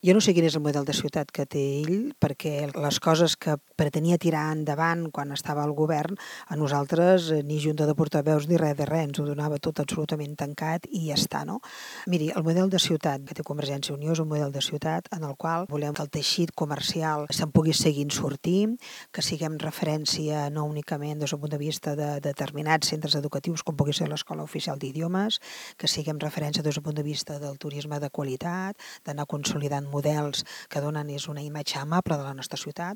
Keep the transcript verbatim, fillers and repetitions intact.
Jo no sé quin és el model de ciutat que té ell, perquè les coses que pretenia tirar endavant quan estava al govern, a nosaltres eh, ni junta de portaveus ni res de res, ens ho donava tot absolutament tancat i ja està, no? Miri, el model de ciutat que té Convergència i Unió és un model de ciutat en el qual volem que el teixit comercial se'n pugui seguir sortint, que siguem referència no únicament des del punt de vista de determinats centres educatius, com pugui ser l'Escola Oficial d'Idiomes, que siguem referència des del punt de vista del turisme de qualitat, d'anar consolidant models que donen és una imatge amable de la nostra ciutat,